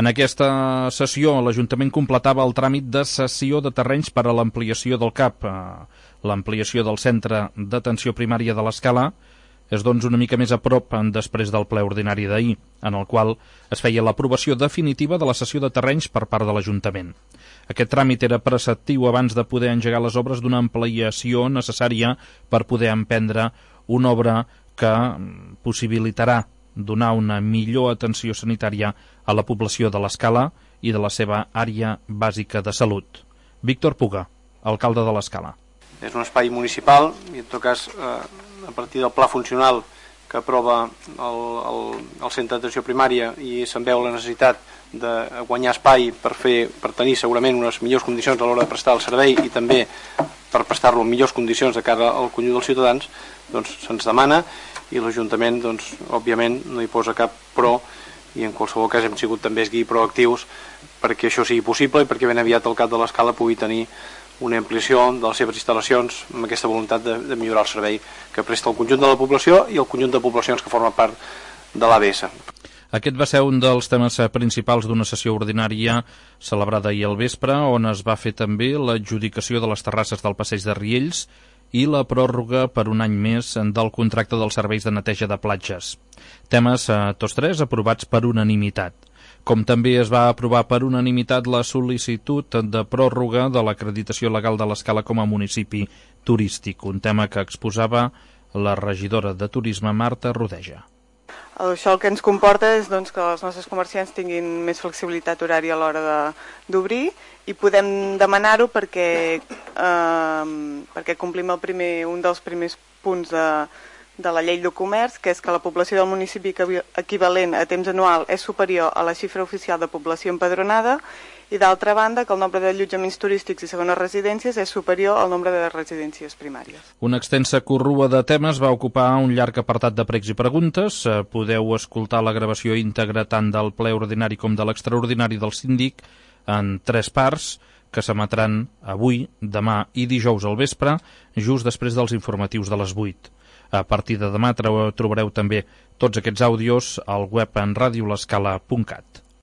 En aquesta sessió, l'Ajuntament completava el tràmit de cessió de terrenys per a l'ampliació del CAP. L'ampliació del centre d'atenció primària de l'Escala és doncs una mica més a prop després del ple ordinari d'ahir, en el qual es feia l'aprovació definitiva de la cessió de terrenys per part de l'Ajuntament. Aquest tràmit era preceptiu abans de poder engegar les obres d'una ampliació necessària per poder emprendre una obra que possibilitarà donar una millor atenció sanitària a la població de l'Escala i de la seva àrea bàsica de salut. Víctor Puga, alcalde de l'Escala. És un espai municipal i en tot cas a partir del pla funcional que aprova el centre d'atenció primària i se'n veu la necessitat de guanyar espai per tenir segurament unes millors condicions a l'hora de prestar el servei i també per prestar-lo en millors condicions de cara al conjunt dels ciutadans, doncs se'ns demana i l'Ajuntament, doncs, òbviament, no hi posa cap pro i en qualsevol cas hem sigut també proactius perquè això sigui possible i perquè ben aviat el CAP de l'Escala pugui tenir una ampliació de les seves instal·lacions amb aquesta voluntat de millorar el servei que presta el conjunt de la població i el conjunt de poblacions que formen part de l'ABS. Aquest va ser un dels temes principals d'una sessió ordinària celebrada ahir al vespre, on es va fer també l'adjudicació de les terrasses del passeig de Riells i la pròrroga per un any més del contracte dels serveis de neteja de platges. Temes, tots tres, aprovats per unanimitat. Com també es va aprovar per unanimitat la sol·licitud de pròrroga de l'acreditació legal de l'Escala com a municipi turístic, un tema que exposava la regidora de Turisme, Marta Rodeja. Això el que ens comporta és doncs, que els nostres comerciants tinguin més flexibilitat horària a l'hora d'obrir i podem demanar-ho perquè complim un dels primers punts de la llei de comerç, que és que la població del municipi equivalent a temps anual és superior a la xifra oficial de població empadronada i d'altra banda que el nombre d'allotjaments turístics i segones residències és superior al nombre de residències primàries. Una extensa corrua de temes va ocupar un llarg apartat de pregs i preguntes. Podeu escoltar la gravació íntegra tant del ple ordinari com de l'extraordinari del síndic en 3 parts que s'emetran avui, demà i dijous al vespre, just després dels informatius de les 8. A partir de demà trobareu també tots aquests àudios al web en radiolescala.cat.